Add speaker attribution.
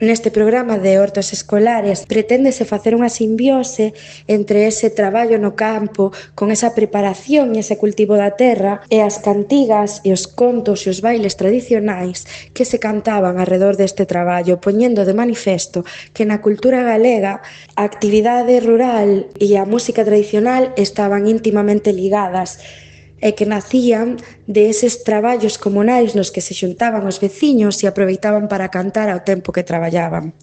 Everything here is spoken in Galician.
Speaker 1: Neste programa de hortas escolares preténdese facer unha simbiose entre ese traballo no campo, con esa preparación e ese cultivo da terra, e as cantigas e os contos e os bailes tradicionais que se cantaban arredor deste traballo, poñendo de manifesto que na cultura galega a actividade rural e a música tradicional estaban íntimamente ligadas e que nacían de eses traballos comunais nos que se xuntaban os veciños e aproveitaban para cantar ao tempo que traballaban.